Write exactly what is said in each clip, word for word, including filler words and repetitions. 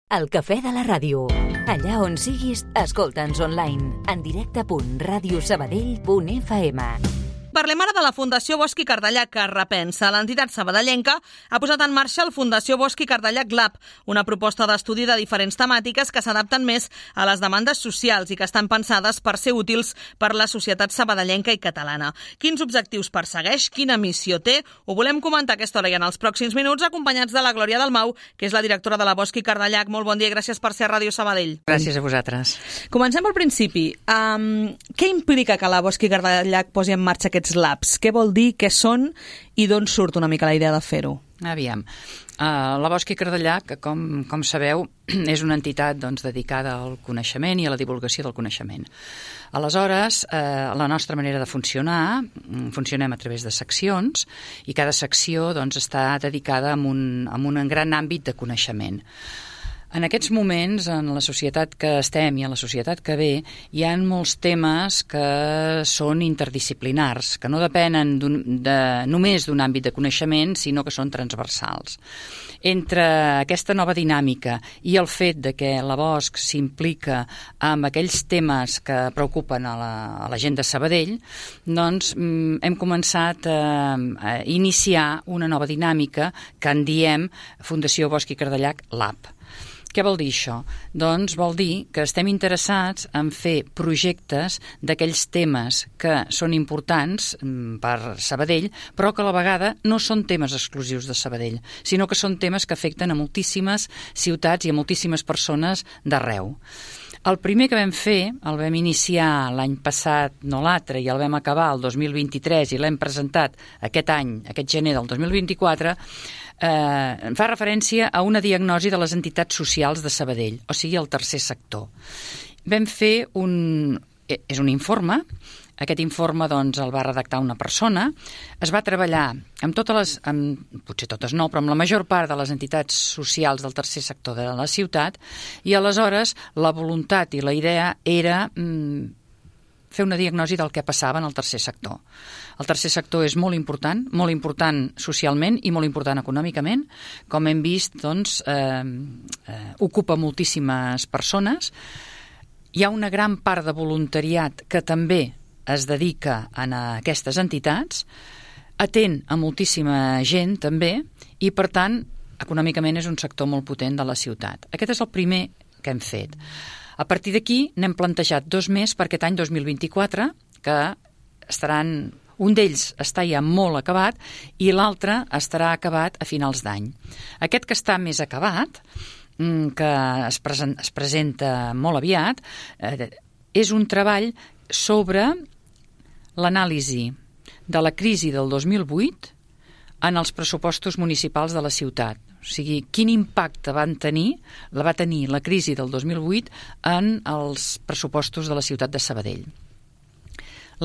El cafè de la ràdio. Allà on siguis, escolta'ns online. En directe punt ràdio sabadell punt f m. Parlem ara de la Fundació Bosch i Cardellac, que repensa. L'entitat sabadellenca ha posat en marxa el Fundació Bosch i Cardellac Lab, una proposta d'estudi de diferents temàtiques que s'adapten més a les demandes socials i que estan pensades per ser útils per la societat sabadellenca i catalana. Quins objectius persegueix? Quina missió té? Ho volem comentar a aquesta hora i en els pròxims minuts, acompanyats de la Glòria Dalmau, que és la directora de la Bosch i Cardellac. Molt bon dia i gràcies per ser a Ràdio Sabadell. Gràcies a vosaltres. Comencem pel principi. Um, què implica que la Bosch i Cardellac posi en marxa aquests labs? Què vol dir, què són i d'on surt una mica la idea de fer-ho? Aviam. Uh, la Bosch i Cardellac, com, com sabeu, és una entitat doncs, dedicada al coneixement i a la divulgació del coneixement. Aleshores, eh, la nostra manera de funcionar, funcionem a través de seccions i cada secció doncs, està dedicada a un, a un gran àmbit de coneixement. En aquests moments, en la societat que estem i en la societat que ve, hi ha molts temes que són interdisciplinars, que no depenen de, només d'un àmbit de coneixement, sinó que són transversals. Entre aquesta nova dinàmica i el fet de que la Bosch s'implica amb aquells temes que preocupen a la, a la gent de Sabadell, doncs hem començat a, a iniciar una nova dinàmica que en diem Fundació Bosch i Cardellac Lab. Què vol dir això? Doncs vol dir que estem interessats en fer projectes d'aquells temes que són importants per Sabadell, però que a la vegada no són temes exclusius de Sabadell, sinó que són temes que afecten a moltíssimes ciutats i a moltíssimes persones d'arreu. El primer que vam fer, el vam iniciar l'any passat, no l'altre, i el vam acabar el dos mil vint-i-tres i l'hem presentat aquest any, aquest gener del dos mil vint-i-quatre, eh, fa referència a una diagnosi de les entitats socials de Sabadell, o sigui, el tercer sector. Vam fer un... és un informe. Aquest informe doncs, el va redactar una persona, es va treballar amb totes les, amb, potser totes no, però amb la major part de les entitats socials del tercer sector de la ciutat, i aleshores la voluntat i la idea era mm, fer una diagnosi del que passava en el tercer sector. El tercer sector és molt important, molt important socialment i molt important econòmicament. Com hem vist, doncs, eh, eh, ocupa moltíssimes persones. Hi ha una gran part de voluntariat que també es dedica a aquestes entitats, atén a moltíssima gent també, i per tant, econòmicament és un sector molt potent de la ciutat. Aquest és el primer que hem fet. A partir d'aquí n'hem plantejat dos més per aquest any dos mil vint-i-quatre, que estaran, un d'ells està ja molt acabat i l'altre estarà acabat a finals d'any. Aquest que està més acabat, que es, present, es presenta molt aviat, eh, és un treball sobre l'anàlisi de la crisi del dos mil vuit en els pressupostos municipals de la ciutat. O sigui, quin impacte van tenir, la va tenir la crisi del dos mil vuit en els pressupostos de la ciutat de Sabadell.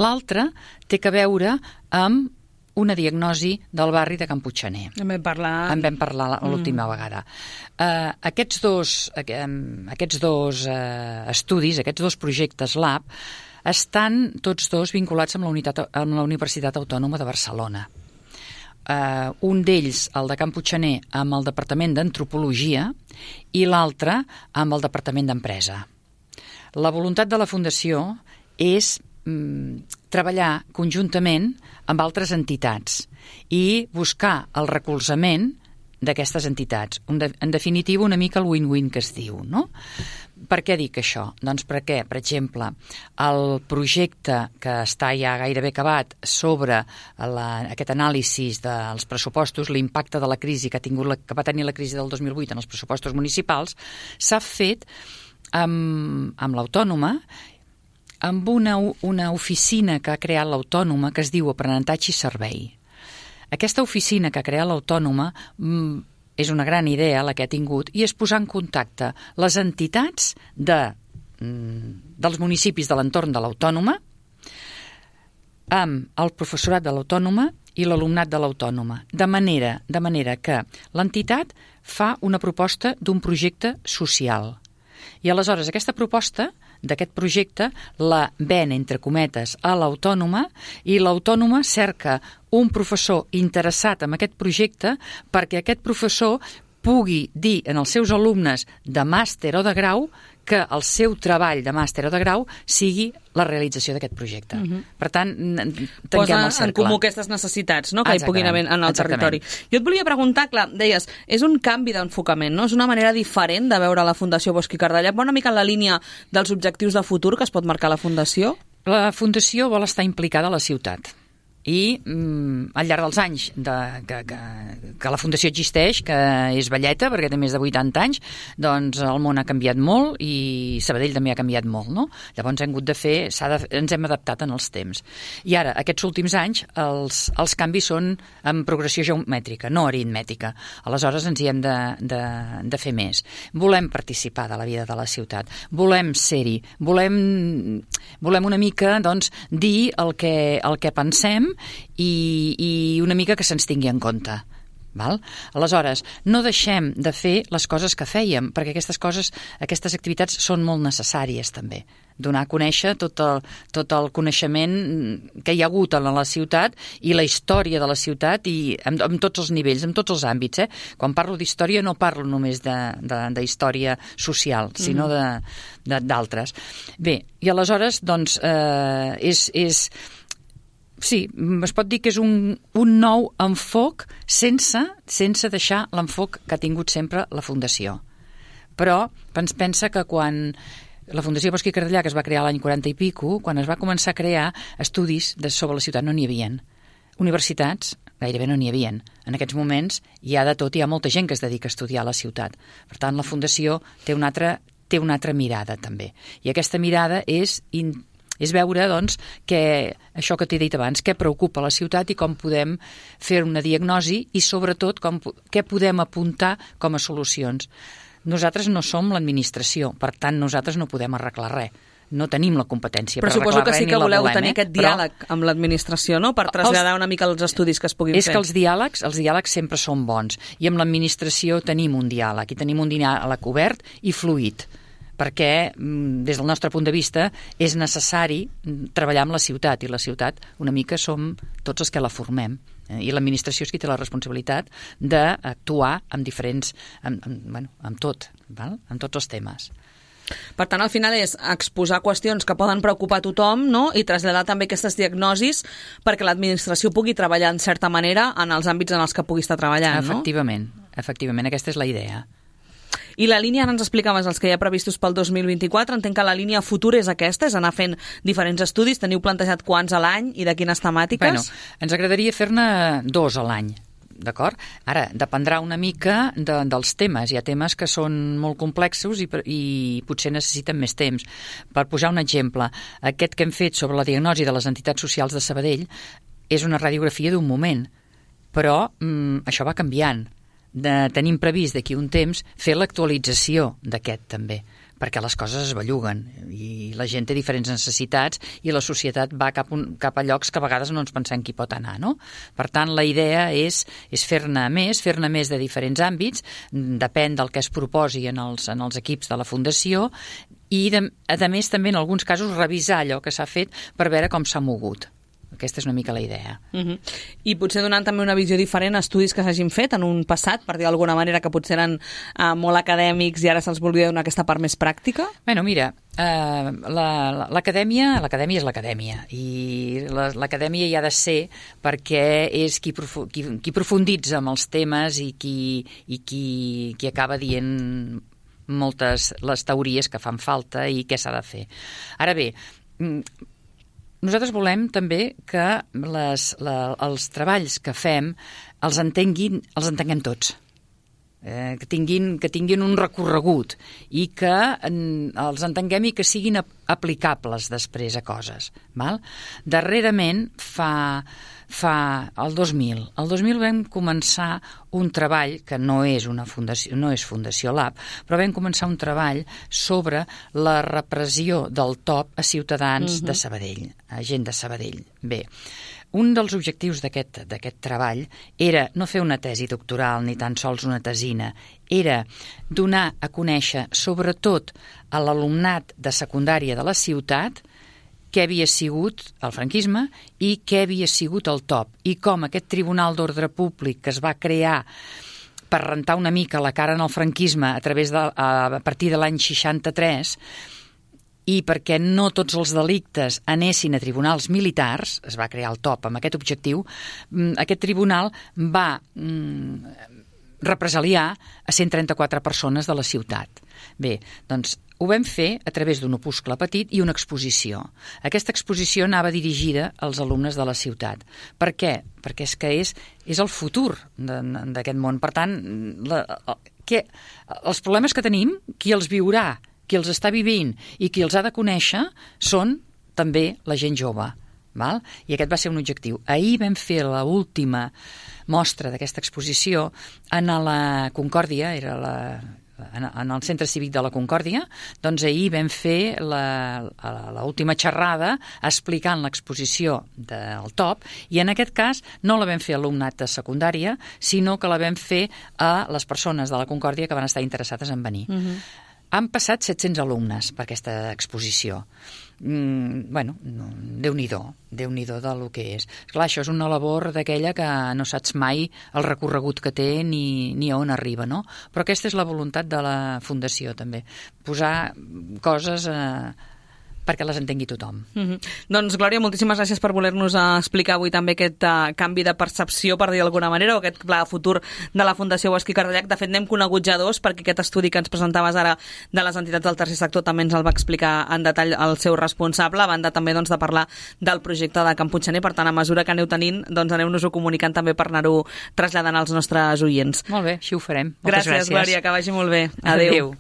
L'altre té a veure amb una diagnosi del barri de Can Puigxaner. En vam parlar... En vam parlar l'última mm. vegada. Uh, aquests dos, uh, aquests dos uh, estudis, aquests dos projectes Lab, estan tots dos vinculats amb la, unitat, amb la Universitat Autònoma de Barcelona. Uh, un d'ells, el de Can Puigxaner, amb el Departament d'Antropologia i l'altre amb el Departament d'Empresa. La voluntat de la Fundació és mm, treballar conjuntament amb altres entitats i buscar el recolzament d'aquestes entitats. En definitiva, una mica el win-win que es diu, no? Per què dic això? Doncs perquè, per exemple, el projecte que està ja gairebé acabat sobre la, aquest anàlisi dels pressupostos, l'impacte de la crisi que, ha tingut la, que va tenir la crisi del dos mil vuit en els pressupostos municipals, s'ha fet amb, amb l'Autònoma, amb una, una oficina que ha creat l'Autònoma que es diu Aprenentatge i Servei. Aquesta oficina que ha creat l'Autònoma mm, és una gran idea la que ha tingut i és posar en contacte les entitats de, mm, dels municipis de l'entorn de l'Autònoma amb el professorat de l'Autònoma i l'alumnat de l'Autònoma, de manera, de manera que l'entitat fa una proposta d'un projecte social. I aleshores aquesta proposta d'aquest projecte la ven, entre cometes, a l'Autònoma i l'Autònoma cerca un professor interessat en aquest projecte perquè aquest professor pugui dir en els seus alumnes de màster o de grau que el seu treball de màster o de grau sigui la realització d'aquest projecte. Uh-huh. Per tant, tanquem Posa el cercle. en comú aquestes necessitats, no?, que hi puguin haver en el exactament. territori. Jo et volia preguntar, clar, deies, és un canvi d'enfocament, no? És una manera diferent de veure la Fundació Bosch i Cardallac, va una mica en la línia dels objectius de futur que es pot marcar la Fundació? La Fundació vol estar implicada a la ciutat. I mm, al llarg dels anys de, que, que, que la Fundació existeix, que és velleta perquè té més de vuitanta anys, doncs el món ha canviat molt i Sabadell també ha canviat molt, no? Llavors hem hagut de fer, s'ha de, ens hem adaptat en els temps. I ara, aquests últims anys, els, els canvis són en progressió geomètrica, no aritmètica. Aleshores ens hi hem de, de, de fer més. Volem participar de la vida de la ciutat, volem ser-hi, volem, volem una mica, doncs, dir el que, el que pensem I, i una mica que se'ns tingui en compte. Val? Aleshores, no deixem de fer les coses que fèiem, perquè aquestes coses, aquestes activitats són molt necessàries també. Donar a conèixer tot el, tot el coneixement que hi ha hagut a la ciutat i la història de la ciutat i en, en tots els nivells, en tots els àmbits. Eh? Quan parlo d'història no parlo només d'història social, sinó d'altres. Bé, i aleshores, doncs, eh, és... és sí, es pot dir que és un, un nou enfoc sense, sense deixar l'enfoc que ha tingut sempre la Fundació. Però ens pensa que quan la Fundació Bosch i Cardallac es va crear l'any quaranta i pico, quan es va començar a crear estudis de, sobre la ciutat no n'hi havien. Universitats gairebé no n'hi havien. En aquests moments hi ha de tot, hi ha molta gent que es dedica a estudiar la ciutat. Per tant, la Fundació té una altra, té una altra mirada també. I aquesta mirada és in, és veure, doncs, que això que t'he dit abans, què preocupa la ciutat i com podem fer una diagnosi i, sobretot, com, què podem apuntar com a solucions. Nosaltres no som l'administració, per tant, nosaltres no podem arreglar res. No tenim la competència per arreglar res, ni la volem. Però suposo que sí que voleu tenir aquest diàleg amb l'administració, no?, per traslladar una mica els estudis que es puguin fer. És que els diàlegs, els diàlegs sempre són bons, i amb l'administració tenim un diàleg, i tenim un diàleg obert i fluid, perquè des del nostre punt de vista és necessari treballar amb la ciutat, i la ciutat una mica som tots els que la formem, i l'administració és qui té la responsabilitat d'actuar amb diferents, amb, amb, bueno, amb tot, val? Amb tots els temes. Per tant, al final és exposar qüestions que poden preocupar a tothom, no?, i traslladar també aquestes diagnosis perquè l'administració pugui treballar en certa manera en els àmbits en els que pugui estar treballant, no? Efectivament, efectivament, aquesta és la idea. I la línia, ara ens explicaves els que hi ha previstos pel dos mil vint-i-quatre, entenc que la línia futura és aquesta, és anar fent diferents estudis, teniu plantejat quants a l'any i de quines temàtiques? Bueno, ens agradaria fer-ne dos a l'any, d'acord? Ara, dependrà una mica de, dels temes. Hi ha temes que són molt complexos i, i potser necessiten més temps. Per posar un exemple, aquest que hem fet sobre la diagnosi de les entitats socials de Sabadell és una radiografia d'un moment, però mm, això va canviant. De, tenim previst d'aquí un temps fer l'actualització d'aquest també, perquè les coses es belluguen i la gent té diferents necessitats i la societat va cap, un, cap a llocs que a vegades no ens pensem qui pot anar, no? Per tant, la idea és, és fer-ne més, fer-ne més de diferents àmbits, depèn del que es proposi en els, en els equips de la Fundació i, de, a més, també en alguns casos revisar allò que s'ha fet per veure com s'ha mogut. Aquesta és una mica la idea. Uh-huh. I potser donant també una visió diferent a estudis que s'hagin fet en un passat, per dir d'alguna manera, que potser eren uh, molt acadèmics i ara se'ls volia donar aquesta part més pràctica? Bueno, mira, uh, l'acadèmia la, l'acadèmia és l'acadèmia i l'acadèmia hi ha de ser perquè és qui, profu qui, qui profunditza en els temes i qui, i qui, qui acaba dient moltes les teories que fan falta i què s'ha de fer. Ara bé, nosaltres volem també que les, la, els treballs que fem els entenguin, els entenguem tots, eh, que, tinguin, que tinguin un recorregut i que en, els entenguem i que siguin aplicables després a coses. Val? Darrerament, fa, fa el dos mil, el dos mil vam començar un treball que no és una fundació, no és Fundació Lab, però vam començar un treball sobre la repressió del T O P a ciutadans uh-huh. de Sabadell, a gent de Sabadell. Bé, un dels objectius d'aquest d'aquest treball era no fer una tesi doctoral ni tan sols una tesina, era donar a conèixer sobretot a l'alumnat de secundària de la ciutat què havia sigut el franquisme i què havia sigut el T O P i com aquest Tribunal d'Ordre Públic que es va crear per rentar una mica la cara en el franquisme a través de, a partir de l'any seixanta-tres, i perquè no tots els delictes anessin a tribunals militars, es va crear el T O P amb aquest objectiu, aquest tribunal va represaliar a cent trenta-quatre persones de la ciutat. Bé, doncs ho vam fer a través d'un opuscle petit i una exposició. Aquesta exposició anava dirigida als alumnes de la ciutat. Per què? Perquè és que és, és el futur d'aquest món. Per tant, la, que, els problemes que tenim, qui els viurà, qui els està vivint i qui els ha de conèixer són també la gent jove. Val? I aquest va ser un objectiu. Ahir vam fer l'última mostra d'aquesta exposició en la Concòrdia, era la... en el Centre Cívic de la Concòrdia, doncs ahir vam fer l'última xerrada explicant l'exposició del T O P, i en aquest cas no la vam fer a alumnat de secundària, sinó que la vam fer a les persones de la Concòrdia que van estar interessades en venir. Uh-huh. Han passat set-cents alumnes per aquesta exposició. Mm, bueno, no, Déu-n'hi-do, Déu-n'hi-do del que és. Esclar, això és una labor d'aquella que no saps mai el recorregut que té ni, ni a on arriba, no? Però aquesta és la voluntat de la Fundació, també. Posar coses eh, perquè les entengui tothom. Mm-hmm. Doncs, Glòria, moltíssimes gràcies per voler-nos explicar avui també aquest uh, canvi de percepció, per dir d'alguna manera, o aquest pla futur de la Fundació Bosch i Cardellac. De fet, n'hem conegut ja dos, perquè aquest estudi que ens presentaves ara de les entitats del tercer sector també ens el va explicar en detall el seu responsable, a banda també doncs, de parlar del projecte de Can Puiggener. Per tant, a mesura que aneu tenint, doncs aneu-nos-ho comunicant també per anar-ho traslladant als nostres oients. Molt bé, així ho farem. Moltes gràcies, gràcies. Glòria, que vagi molt bé. Adéu. Adéu.